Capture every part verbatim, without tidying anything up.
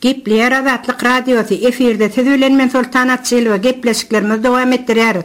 Gepleýär Azatlyk Radiosy, efirde siz bilen men Soltan Açylowa gepleşiklerimizi dowam etdirýäris.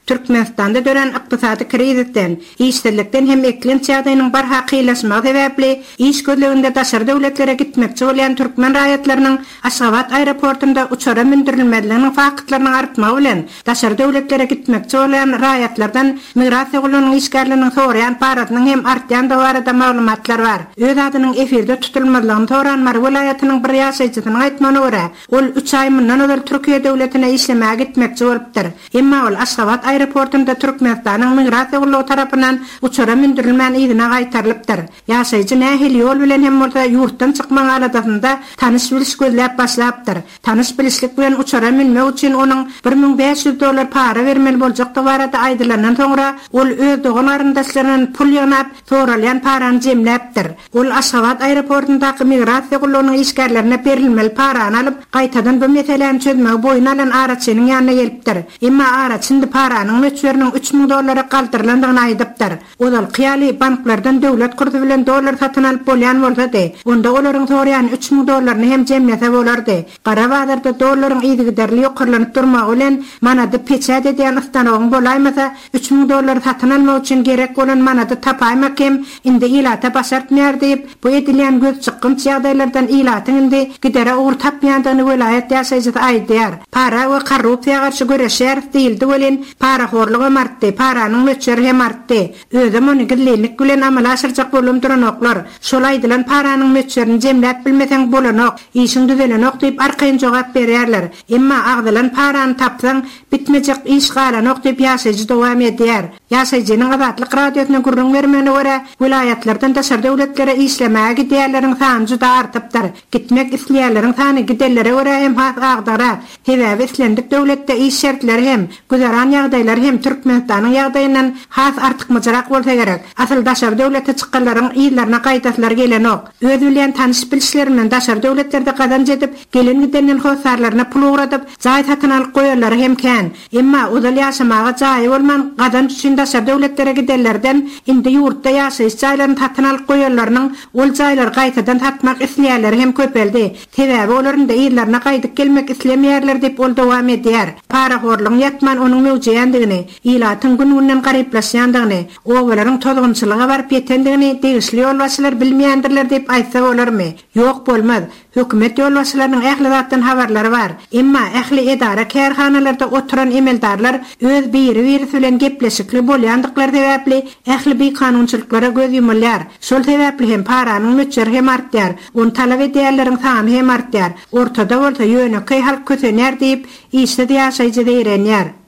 Türkmenistanda dörän ykdysady krizisden, işsizlikden hem eklenç ýagdaýynyň barha kynlaşmagy sebäpli iş gözleginde daşary döwletlere gitmekçi bolýan türkmen raýatlarynyň Aşgabat aeroportunda uçara mündürilmezliginiň faktlarynyň artmagy bilen daşary döwletlere gitmekçi bolýan raýatlardan migrasiýa gullugynyň işgärleriniň soraýan parasynyň hem artýandygy barada maglumatlar bar. Öz adynyň efirde tutulmazlygyny soran Mary welaýatynyň bir ýaşaýjysynyň aýtmagyna görä, ol üç aý mundan ozal Türkiýe döwletine işlemäge gitmekçi bolupdyr. Emma ol Aşgabat aeroportunda Türkmenistanyň migrasiýa gullugy tarapyndan uçara mündürilmän yzyna gaýtarylypdyr. Ýaşaýjy nähili ýol bilen hem bolsa ýurtdan çykmagyň aladasynda tanyş biliş gözläp başlapdyr. Tanyş bilişlik bilen uçara münmek üçin onuň bir müň bäş ýüz dollar para bermeli boljakdygy barada aýdylandan soňra ol öz dogan garyndaşlaryndan pul ýygnap, soralýan parany jemläpdir. Ol Aşgabat aeroportundaky migrasiýa gullugynyň işgärlerine berilmeli parany alyp, gaýtadan bu meseläni çözmegi boýun alan araçynyň ýanyna gelipdir. Emma araçy indi paranyň möçberiniň üç müň dollara galdyrylandygyny aýdypdyr. Ozalky ýaly banklardan döwlet kursy bilen dollar satyn alyp bolýan bolsady, onda olaryň soraýan üç müň dollaryny hem jemlese bolardy. Gara bazarda dollaryň yzygiderli ýokarlanyp durmagy bilen manady peçat edýän ystanogyň bolaýmasa üç müň dollary satyn almak üçin gerek bolan manady tapaýmak hem indi ilata başartmaýar diýip, bu edilýän göz çykgynç ýagdaýlardan ilatyň indi gidere ugur tapmaýandygyny welaýat ýaşaýjysy aýdýar. Para we korrupsiýa garşy göreşýäris diýildi welin, parahorluk hem artdy, paranyň möçberi hem artdy. Özem ony gizlinlik bilen amala aşyrjak bolum duranoklar. Şol aýdylan paranyň möçberini jemläp bilmeseň bolanok, işiň düzelenok diýip arkaýyn jogap berýärler. Emma agdylan parany tapsaň bitmejek iş galanok diýip ýaşaýjy dowam edýär. Ýaşaýjynyň Azatlyk Radiosyna gürrüň bermegine görä, welaýatlardan daşary döwletlere işlemäge gidýänleriň sany juda artypdyr. Gitmek isleýänleriň sany gidenlere görä hem has agdagrak. Sebäbi islendik döwletde iş şertleri hem, güzeran ýagdaýlary hem Türkmenistanyň ýagdaýyndan has artykmajrak bolsa gerek. Asyl daşary döwlete çykanlaryň ýyllaryna gaýdaslary gelenok. Öz bilýän tanyş bilişlerinden daşary döwletlerde gazanç edip, gelen gidenden hossarlaryna pul ugradyp, jaý satyn alyp goýanlary hem kän. Emma ozal ýaşamaga jaýy bolman gazanç üçin daşary döwletlere gidenlerden indi ýurtda ýaşaýyş jaýlaryny satyn alyp goýanlarynyň ol jaýlary gaýtadan satmak isleýänleri hem köpeldi. Sebäbi olaryň da ýyllaryna gaýdyp gelmek islemeýärler diýip ol dowam edýär. Parahorlugyň ýatman onuň möwjeýändigini, ilatyň gün-günden garyplaşýandygyny, obalaryň tozgunçylyga baryp ýetendigini degişli ýolbaşçylar bilmeýändirler diýip aýtsa bolarmy? Ýok bolmaz. Hökümet ýolbaşçylarynyň ähli zatdan habarlary bar. Emma ähli edara kärhanalarda oturan emeldarlar öz biri-birisi bilen gepleşikli bolýandyklary sebäpli ähli bikanunçylyklara göz ýumulýar. Şol sebäpli hem paranyň möçberi hem artýar. Ony talap edýänleriň sany hem artýar. Ortada bolsa ýönekeý halk kösenýär diýip, işsiz ýaşaýjy zeýrenýär.